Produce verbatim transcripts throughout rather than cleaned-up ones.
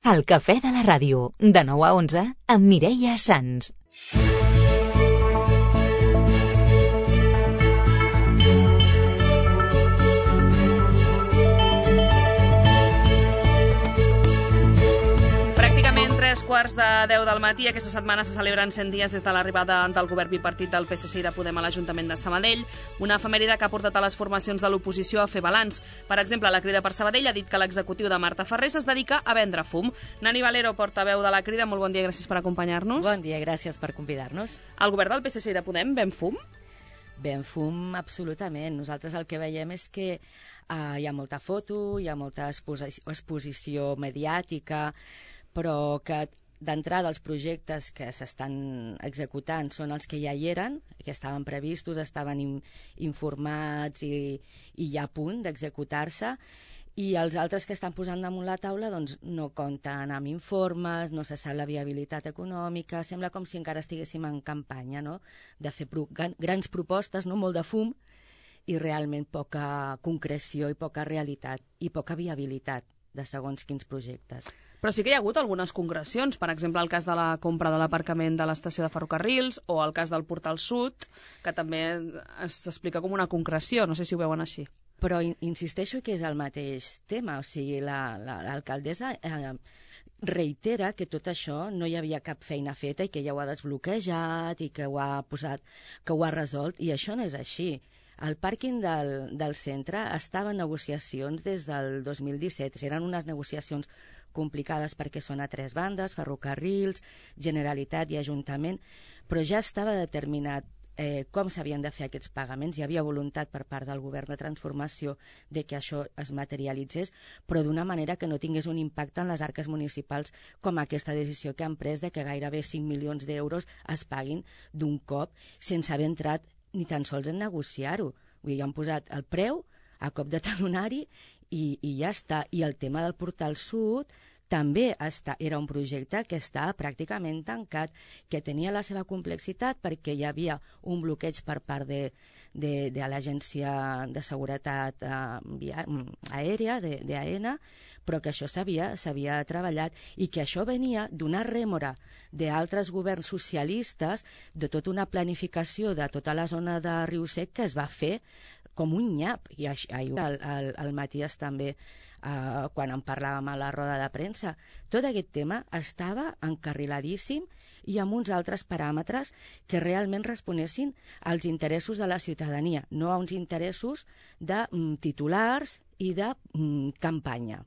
El cafè de la ràdio, de nou a onze, amb Mireia Sans. Tres quarts de deu del matí. Aquesta setmana se celebren cent dies des de l'arribada del govern bipartit del P S C i de Podem a l'Ajuntament de Sabadell, una efemèride que ha portat a les formacions de l'oposició a fer balanç. Per exemple, la Crida per Sabadell ha dit que l'executiu de Marta Ferrés es dedica a vendre fum. Nani Valero, portaveu de la Crida, molt bon dia i gràcies per acompanyar-nos. Bon dia, gràcies per convidar-nos. El govern del P S C i de Podem ven fum? Ben fum, absolutament. Nosaltres el que veiem és que uh, hi ha molta foto, hi ha molta exposi- exposició mediàtica, però que d'entrada els projectes que s'estan executant són els que ja hi eren, que estaven previstos, estaven in, informats i, i ja a punt d'executar-se, i els altres que estan posant damunt la taula doncs, no compten amb informes, no se sap la viabilitat econòmica, sembla com si encara estiguéssim en campanya, no?, de fer pro, grans propostes, no?, molt de fum, i realment poca concreció i poca realitat i poca viabilitat de segons quins projectes. Però sí que hi ha hagut algunes concrecions, per exemple el cas de la compra de l'aparcament de l'estació de ferrocarrils o el cas del Portal Sud, que també s'explica com una concreció, no sé si ho veuen així. Però insisteixo que és el mateix tema, o sigui, la, la, l'alcaldessa eh, reitera que tot això no hi havia cap feina feta i que ja ho ha desbloquejat i que ho ha posat, que ho ha resolt, i això no és així. El pàrquing del, del centre estava en negociacions des del dos mil disset, eren unes negociacions complicades perquè són a tres bandes, ferrocarrils, Generalitat i Ajuntament, però ja estava determinat eh, com s'havien de fer aquests pagaments. Hi havia voluntat per part del govern de transformació de que això es materialitzés, però d'una manera que no tingués un impacte en les arques municipals, com aquesta decisió que han pres de que gairebé cinc milions d'euros es paguin d'un cop sense haver entrat ni tan sols en negociar-ho. Vull dir, han posat el preu a cop de talonari i, i ja està. I el tema del Portal Sud també està, era un projecte que estava pràcticament tancat, que tenia la seva complexitat perquè hi havia un bloqueig per part de, de, de l'Agència de Seguretat eh, via, Aèria, de, de A E N A, però que això s'havia s'havia treballat i que això venia d'una rèmora d'altres governs socialistes, de tota una planificació de tota la zona de Riu Sec que es va fer com un nyap. I el, el, el Matías també, eh, quan en parlàvem a la roda de premsa, tot aquest tema estava encarriladíssim i amb uns altres paràmetres que realment responessin als interessos de la ciutadania, no a uns interessos de mm, titulars i de mm, campanya.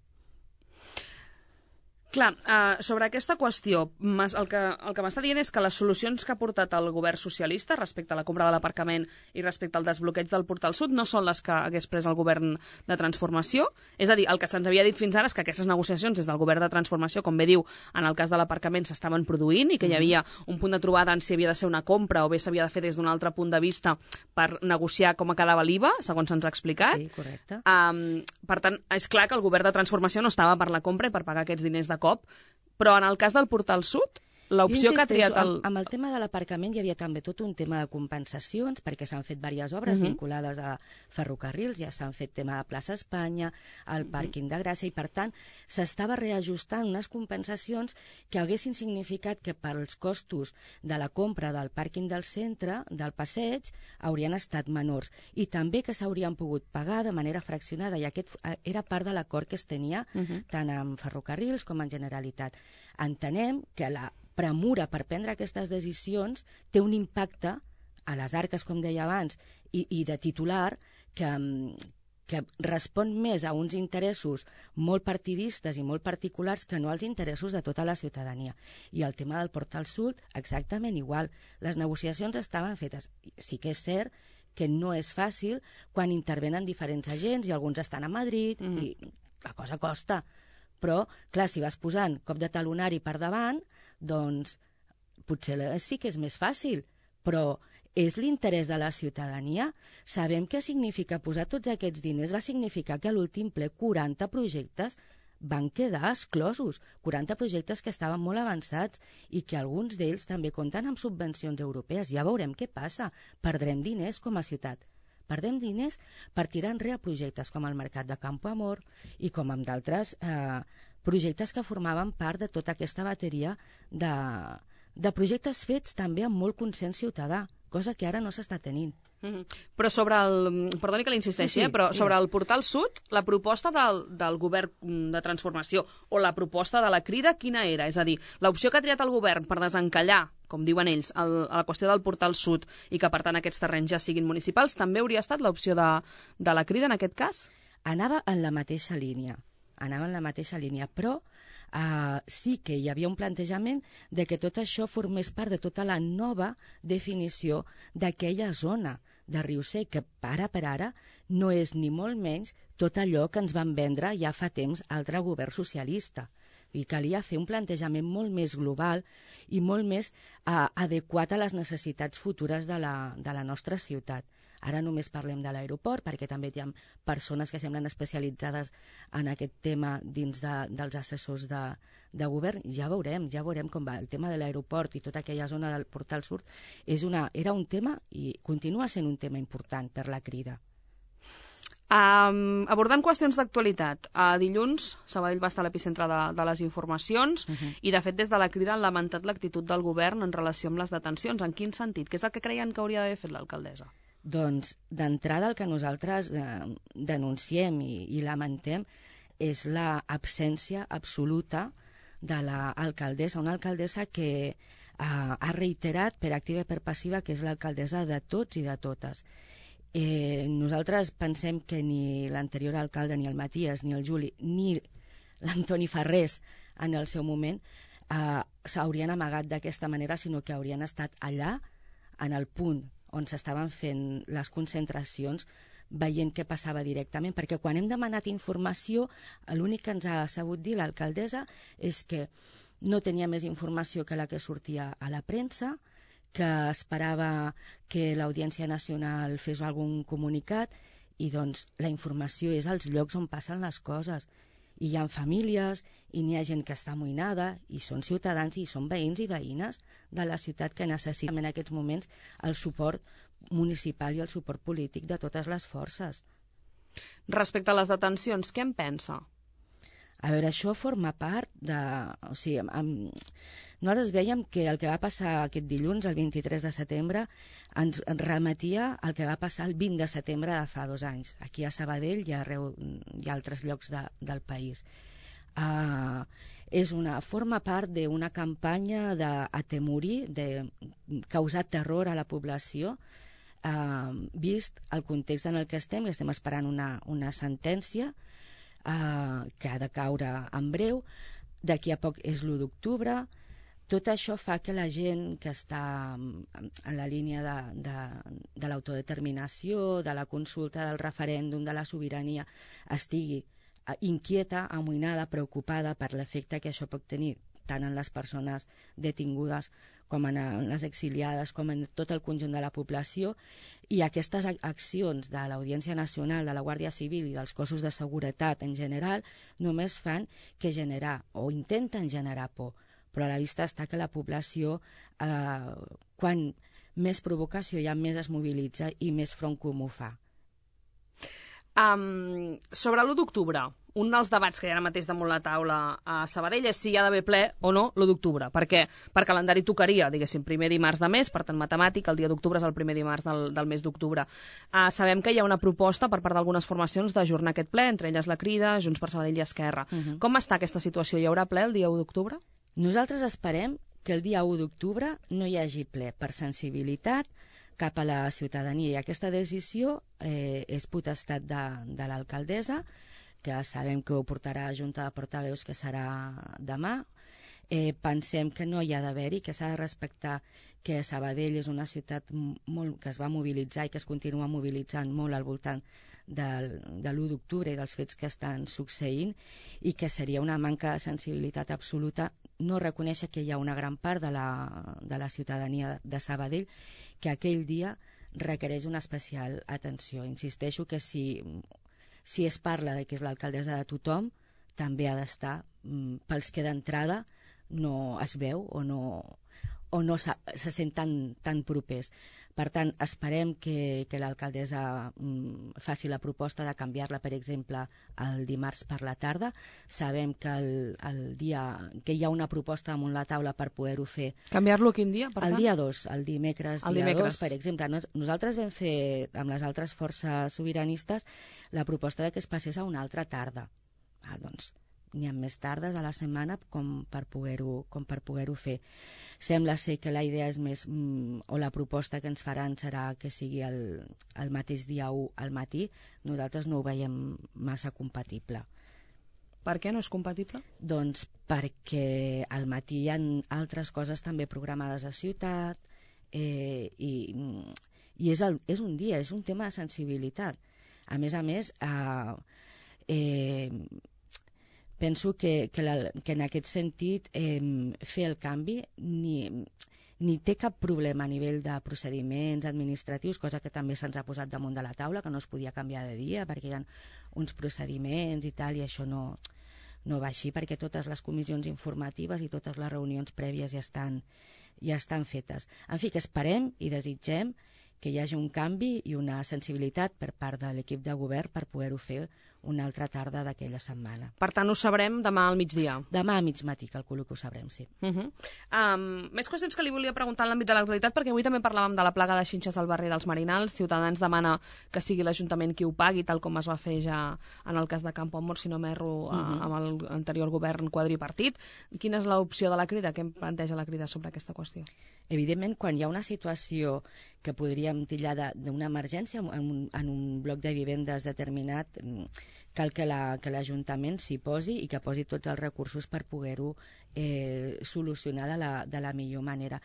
Clar, uh, sobre aquesta qüestió, el que, el que m'està dient és que les solucions que ha portat el govern socialista respecte a la compra de l'aparcament i respecte al desbloqueig del Portal Sud no són les que hagués pres el govern de transformació. És a dir, el que se'ns havia dit fins ara és que aquestes negociacions des del govern de transformació, com bé diu, en el cas de l'aparcament s'estaven produint i que hi havia un punt de trobada en si havia de ser una compra o bé s'havia de fer des d'un altre punt de vista per negociar com quedava l'I V A, segons se'ns ha explicat. Sí, correcte. Um, per tant, és clar que el govern de transformació no estava per la compra i per pagar aquests diners de cop, però en el cas del Portal Sud, l'opció que ha triat el... Amb, amb el tema de l'aparcament hi havia també tot un tema de compensacions, perquè s'han fet diverses obres uh-huh. vinculades a ferrocarrils, ja s'han fet tema de plaça Espanya, el uh-huh. pàrquing de Gràcia, i per tant s'estava reajustant unes compensacions que haguessin significat que pels costos de la compra del pàrquing del centre, del passeig, haurien estat menors, i també que s'haurien pogut pagar de manera fraccionada, i aquest era part de l'acord que es tenia uh-huh. tant amb ferrocarrils com en Generalitat. Entenem que la premura per prendre aquestes decisions té un impacte a les arques, com deia abans, i, i de titular que, que respon més a uns interessos molt partidistes i molt particulars que no als interessos de tota la ciutadania. I el tema del Portal Sud, exactament igual. Les negociacions estaven fetes. Sí que és cert que no és fàcil quan intervenen diferents agents i alguns estan a Madrid mm. i la cosa costa. Però, clar, si vas posant cop de talonari per davant, doncs potser sí que és més fàcil, però és l'interès de la ciutadania. Sabem què significa posar tots aquests diners. Va significar que a l'últim ple quaranta projectes van quedar exclosos, quaranta projectes que estaven molt avançats i que alguns d'ells també compten amb subvencions europees. Ja veurem què passa. Perdrem diners com a ciutat. Perdem diners per tirar enrere projectes com el Mercat de Campo Amor i com amb d'altres eh, projectes que formaven part de tota aquesta bateria de, de projectes fets també amb molt consens ciutadà, cosa que ara no s'està tenint. Mm-hmm. Però sobre el... Perdoni que l'insisteixi, sí, sí, eh? però sobre digues. el portal sud, la proposta del, del govern de transformació o la proposta de la Crida, quina era? És a dir, l'opció que ha triat el govern per desencallar, com diuen ells, el, a la qüestió del portal sud i que, per tant, aquests terrenys ja siguin municipals, també hauria estat l'opció de, de la Crida en aquest cas? Anava en la mateixa línia, anava en la mateixa línia, però uh, sí que hi havia un plantejament de que tot això formés part de tota la nova definició d'aquella zona de Riu-Sec, que ara per ara no és ni molt menys tot allò que ens van vendre ja fa temps altre govern socialista. I calia fer un plantejament molt més global i molt més uh, adequat a les necessitats futures de la, de la nostra ciutat. Ara només parlem de l'aeroport, perquè també hi ha persones que semblen especialitzades en aquest tema dins de, dels assessors de, de govern. Ja veurem, ja veurem com va. El tema de l'aeroport i tota aquella zona del Portal Sud és una, era un tema i continua sent un tema important per la Crida. Um, abordant qüestions d'actualitat, a dilluns Sabadell va estar a l'epicentre de, de les informacions uh -huh. i de fet des de la Crida han lamentat l'actitud del govern en relació amb les detencions. En quin sentit? Què és el que creien que hauria d'haver fet l'alcaldessa? Doncs d'entrada el que nosaltres eh, denunciem i, i lamentem és l'absència absoluta de l'alcaldessa, una alcaldessa que eh, ha reiterat per activa i per passiva que és l'alcaldessa de tots i de totes. Eh, nosaltres pensem que ni l'anterior alcalde, ni el Matías, ni el Juli, ni l'Antoni Farrés en el seu moment eh, s'haurien amagat d'aquesta manera, sinó que haurien estat allà, en el punt on s'estaven fent les concentracions, veient què passava directament, perquè quan hem demanat informació, l'únic que ens ha sabut dir l'alcaldessa és que no tenia més informació que la que sortia a la premsa, que esperava que l'Audiència Nacional fes algun comunicat, i doncs la informació és als llocs on passen les coses. I hi ha famílies, i n'hi ha gent que està amoïnada, i són ciutadans, i són veïns i veïnes de la ciutat que necessiten en aquests moments el suport municipal i el suport polític de totes les forces. Respecte a les detencions, què en pensa? A veure, això forma part de... O sigui, amb... nosaltres veiem que el que va passar aquest dilluns, el vint-i-tres de setembre, ens remetia al que va passar el vint de setembre de fa dos anys, aquí a Sabadell i a, arreu, i a altres llocs de, del país. Uh, és una, forma part d'una campanya d'atemorir, de causar terror a la població, uh, vist el context en el que estem, i estem esperant una, una sentència uh, que ha de caure en breu. D'aquí a poc és l'u d'octubre. Tot això fa que la gent que està en la línia de, de, de l'autodeterminació, de la consulta, del referèndum, de la sobirania, estigui inquieta, amoïnada, preocupada per l'efecte que això pot tenir tant en les persones detingudes com en les exiliades, com en tot el conjunt de la població. I aquestes accions de l'Audiència Nacional, de la Guàrdia Civil i dels cossos de seguretat en general només fan que generar, o intenten generar por. Però a la vista està que la població, eh, quan més provocació hi ha, més es mobilitza i més front comú fa. Um, sobre l'u d'octubre, un dels debats que hi ha ara mateix damunt la taula a Sabadell és si hi ha d'haver ple o no l'u d'octubre, perquè per calendari tocaria, diguéssim, primer dimarts de mes, per tant matemàtic, el dia d'octubre és el primer dimarts del, del mes d'octubre. Uh, sabem que hi ha una proposta per part d'algunes formacions d'ajornar aquest ple, entre elles la Crida, Junts per Sabadell i Esquerra. Uh -huh. Com està aquesta situació? Hi haurà ple el dia u d'octubre? Nosaltres esperem que el dia u d'octubre no hi hagi ple per sensibilitat cap a la ciutadania, i aquesta decisió eh, és potestat de, de l'alcaldessa, que sabem que ho portarà a Junta de Portaveus, que serà demà. Eh, pensem que no hi ha d'haver-hi, que s'ha de respectar que Sabadell és una ciutat molt, que es va mobilitzar i que es continua mobilitzant molt al voltant del, de l'u d'octubre i dels fets que estan succeint, i que seria una manca de sensibilitat absoluta no reconèixer que hi ha una gran part de la, de la ciutadania de Sabadell que aquell dia requereix una especial atenció. Insisteixo que si, si es parla de que és l'alcaldessa de tothom, també ha d'estar pels que d'entrada no es veu o no, o no se, se sent tan, tan propers. Per tant, esperem que, que l'alcaldessa mm, faci la proposta de canviar-la, per exemple, el dimarts per la tarda. Sabem que, el, el dia, que hi ha una proposta damunt la taula per poder-ho fer. Canviar-lo quin dia, per tant? El dia dos, el dimecres, el dia dimecres. dos, per exemple. Nos, nosaltres vam fer, amb les altres forces sobiranistes, la proposta de que es passés a una altra tarda. Ah, doncs, n'hi ha més tardes a la setmana com per poder-ho com per poder-ho fer. Sembla ser que la idea és més, mm, o la proposta que ens faran serà que sigui el, el mateix dia u al matí. Nosaltres no ho veiem massa compatible. Per què no és compatible? Doncs perquè al matí hi ha altres coses també programades a ciutat, eh, i, i és, el, és un dia, és un tema de sensibilitat. A més a més, eh, eh, penso que, que, la, que en aquest sentit eh, fer el canvi ni, ni té cap problema a nivell de procediments administratius, cosa que també se'ns ha posat damunt de la taula, que no es podia canviar de dia perquè hi ha uns procediments i tal, i això no, no va així, perquè totes les comissions informatives i totes les reunions prèvies ja estan, ja estan fetes. En fi, que esperem i desitgem que hi hagi un canvi i una sensibilitat per part de l'equip de govern per poder-ho fer una altra tarda d'aquella setmana. Per tant, ho sabrem demà al migdia. Demà a mig matí, calculo que ho sabrem, sí. Uh -huh. um, més qüestions que li volia preguntar en l'àmbit de l'actualitat, perquè avui també parlàvem de la plaga de xinxes al barri dels Marinals. Ciutadans demana que sigui l'Ajuntament qui ho pagui, tal com es va fer ja en el cas de Campoamor, si no m'erro, uh -huh. amb l'anterior govern quadripartit. Quina és l'opció de la Crida? Què em planteja la Crida sobre aquesta qüestió? Evidentment, quan hi ha una situació que podríem titllar d'una emergència en un, en un bloc de vivendes determinat, cal que l'Ajuntament la, s'hi posi i que posi tots els recursos per poder-ho eh, solucionar de la, de la millor manera.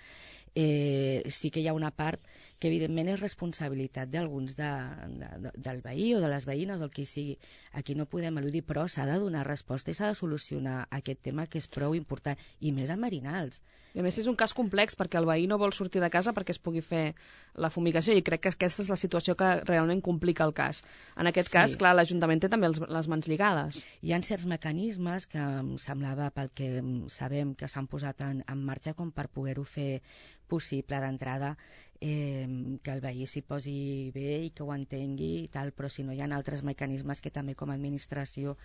Eh, sí que hi ha una part que evidentment és responsabilitat d'alguns de, de, de, del veí o de les veïnes o el que sigui. Aquí no podem eludir, però s'ha de donar resposta i s'ha de solucionar aquest tema que és prou important, i més a Marinals. I a més és un cas complex perquè el veí no vol sortir de casa perquè es pugui fer la fumigació, i crec que aquesta és la situació que realment complica el cas. En aquest sí. cas, clar, l'Ajuntament té també els, les mans lligades. Hi ha certs mecanismes que em semblava, pel que sabem, que s'han posat en, en marxa com per poder-ho fer possible d'entrada, eh, que el veí s'hi posi bé i que ho entengui i tal, però si no hi ha altres mecanismes que també com a administració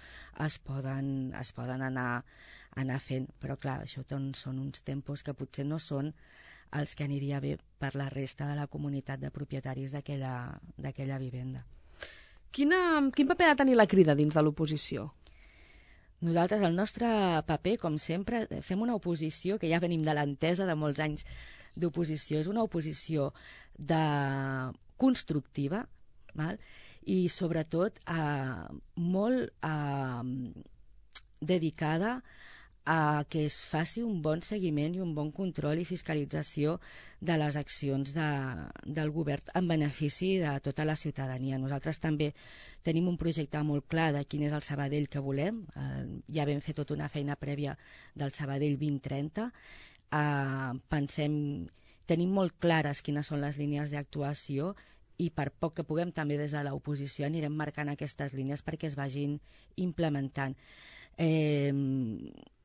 es poden, es poden anar, anar fent. Però clar, això doncs, són uns tempos que potser no són els que aniria bé per la resta de la comunitat de propietaris d'aquella vivenda. Quina, quin paper ha de tenir la Crida dins de l'oposició? Nosaltres, el nostre paper, com sempre, fem una oposició que ja venim de l'entesa de molts anys d'oposició. És una oposició de constructiva, val? I sobretot eh, molt eh, dedicada a que es faci un bon seguiment i un bon control i fiscalització de les accions de, del govern en benefici de tota la ciutadania. Nosaltres també tenim un projecte molt clar de quin és el Sabadell que volem. Eh, ja vam fer tota una feina prèvia del Sabadell vint trenta. Eh, pensem, tenim molt clares quines són les línies d'actuació i per poc que puguem també des de l'oposició anirem marcant aquestes línies perquè es vagin implementant. Eh,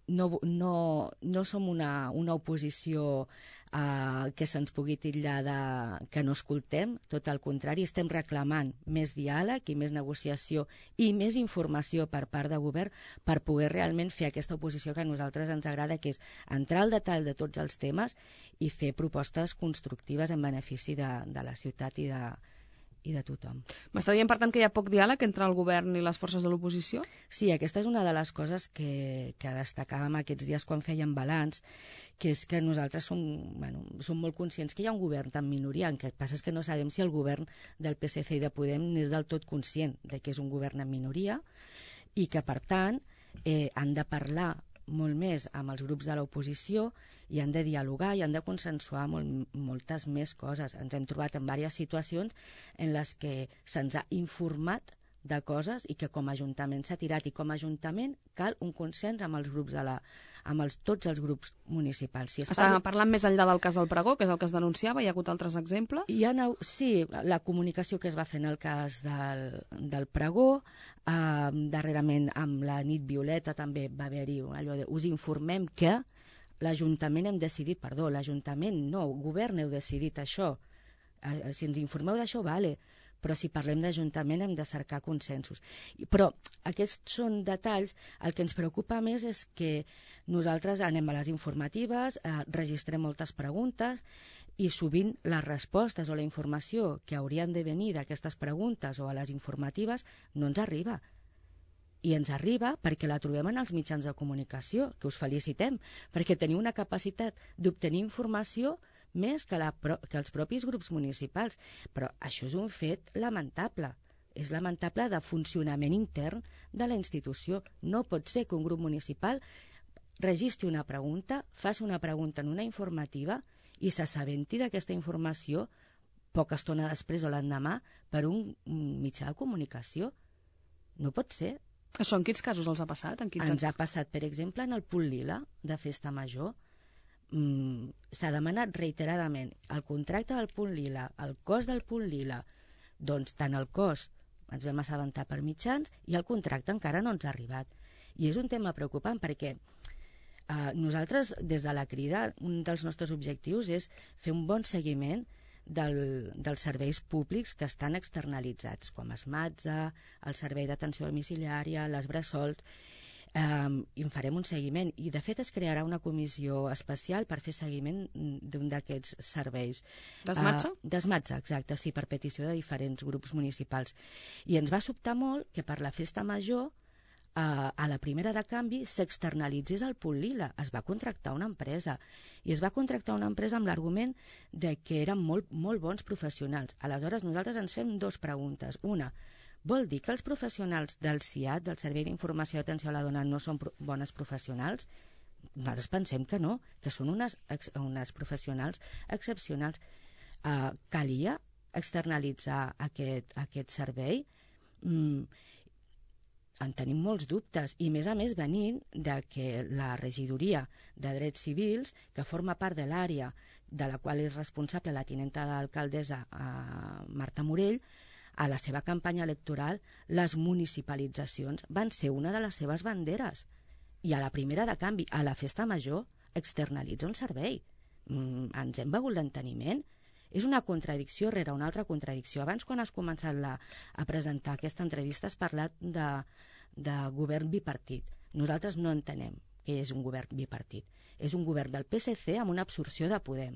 no, no, no som una, una oposició eh, que se'ns pugui titllar de que no escoltem, tot el contrari, estem reclamant més diàleg i més negociació i més informació per part de govern per poder realment fer aquesta oposició que a nosaltres ens agrada, que és entrar al detall de tots els temes i fer propostes constructives en benefici de, de la ciutat i de, i de tothom. M'està dient, per tant, que hi ha poc diàleg entre el govern i les forces de l'oposició? Sí, aquesta és una de les coses que, que destacàvem aquests dies quan fèiem balanç, que és que nosaltres som, bueno, som molt conscients que hi ha un govern en minoria, el que passa és que no sabem si el govern del P S C i de Podem n'és del tot conscient de que és un govern en minoria i que, per tant, eh, han de parlar molt més amb els grups de l'oposició i han de dialogar i han de consensuar molt, moltes més coses. Ens hem trobat en diverses situacions en les que se'ns ha informat de coses i que com a Ajuntament s'ha tirat, i com a Ajuntament cal un consens amb els grups de la, amb els, tots els grups municipals. Si Estàvem parla... parlant més enllà del cas del pregó, que és el que es denunciava, hi ha hagut altres exemples? Hi ha, sí, la comunicació que es va fer en el cas del, del pregó, eh, darrerament amb la nit violeta també va haver-hi allò de us informem que l'Ajuntament hem decidit, perdó, l'Ajuntament no, el govern heu decidit això. eh, si ens informeu d'això, vale, però si parlem d'Ajuntament hem de cercar consensos. Però aquests són detalls. El que ens preocupa més és que nosaltres anem a les informatives, eh, registrem moltes preguntes i sovint les respostes o la informació que haurien de venir d'aquestes preguntes o a les informatives no ens arriba. I ens arriba perquè la trobem en els mitjans de comunicació, que us felicitem, perquè teniu una capacitat d'obtenir informació més que, la, que els propis grups municipals. Però això és un fet lamentable. És lamentable de funcionament intern de la institució. No pot ser que un grup municipal registri una pregunta, faci una pregunta en una informativa i s'assabenti d'aquesta informació poca estona després o l'endemà per un mitjà de comunicació. No pot ser. Això en quins casos els ha passat? En quins Ens ha passat, per exemple, en el Punt Lila de Festa Major. Mm, s'ha demanat reiteradament el contracte del Punt Lila, el cost del Punt Lila. Doncs tant el cost ens vam assabentar per mitjans i el contracte encara no ens ha arribat. I és un tema preocupant perquè eh, nosaltres, des de la Crida, un dels nostres objectius és fer un bon seguiment Del, dels serveis públics que estan externalitzats, com Esmatza, el servei d'atenció domiciliària, les bressols, eh, i en farem un seguiment. I, de fet, es crearà una comissió especial per fer seguiment d'un d'aquests serveis. D'Esmatza? Uh, D'Esmatza, exacte, sí, per petició de diferents grups municipals. I ens va sobtar molt que per la Festa Major Uh, a la primera de canvi s'externalitzés el Punt Lila. Es va contractar una empresa i es va contractar una empresa amb l'argument de que eren molt, molt bons professionals. Aleshores nosaltres ens fem dues preguntes. Una, vol dir que els professionals del C I A T, del Servei d'Informació i Atenció a la Dona, no són pro bones professionals? Nosaltres pensem que no, que són unes, unes professionals excepcionals. Uh, calia externalitzar aquest, aquest servei? Mm, en tenim molts dubtes, i més a més venint de que la regidoria de Drets Civils, que forma part de l'àrea de la qual és responsable la tinenta d'alcaldessa eh, Marta Morell, a la seva campanya electoral les municipalitzacions van ser una de les seves banderes. I a la primera de canvi, a la Festa Major, externalitza un servei. Mm, ens hem begut l'enteniment. És una contradicció rere una altra contradicció. Abans, quan has començat la, a presentar aquesta entrevista, has parlat de, de govern bipartit. Nosaltres no entenem que és un govern bipartit. És un govern del P S C amb una absorció de Podem.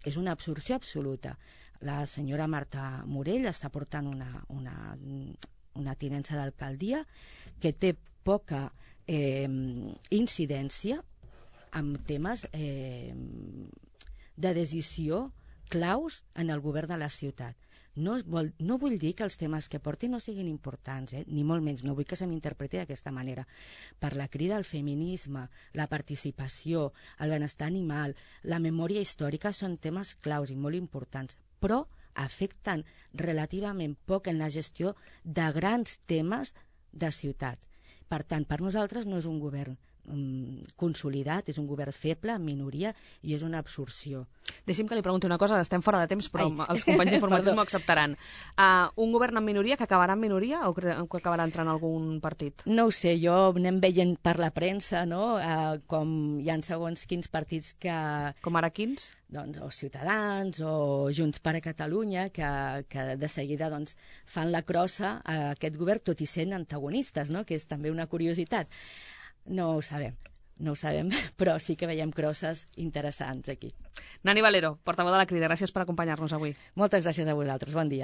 És una absorció absoluta. La senyora Marta Morell està portant una, una, una tinença d'alcaldia que té poca eh, incidència en temes eh, de decisió claus en el govern de la ciutat. No, vol, no vull dir que els temes que porti no siguin importants, eh? Ni molt menys, no vull que se m'interpreti d'aquesta manera. Per la Crida al feminisme, la participació, el benestar animal, la memòria històrica són temes claus i molt importants, però afecten relativament poc en la gestió de grans temes de ciutat. Per tant, per nosaltres no és un govern consolidat, és un govern feble, en minoria, i és una absorció. Deixi'm que li pregunti una cosa, estem fora de temps, però Ai. els companys informatius m'ho acceptaran. Uh, un govern en minoria que acabarà en minoria o que acabarà entrant algun partit? No ho sé, jo anem veient per la premsa, no?, uh, com hi ha segons quins partits que... Com ara quins? Doncs, o Ciutadans o Junts per a Catalunya, que, que de seguida doncs, fan la crossa a aquest govern, tot i sent antagonistes, no?, que és també una curiositat. No ho sabem, no ho sabem, però sí que veiem crosses interessants aquí. Nani Valero, portaveu de la Crida, gràcies per acompanyar-nos avui. Moltes gràcies a vosaltres, bon dia.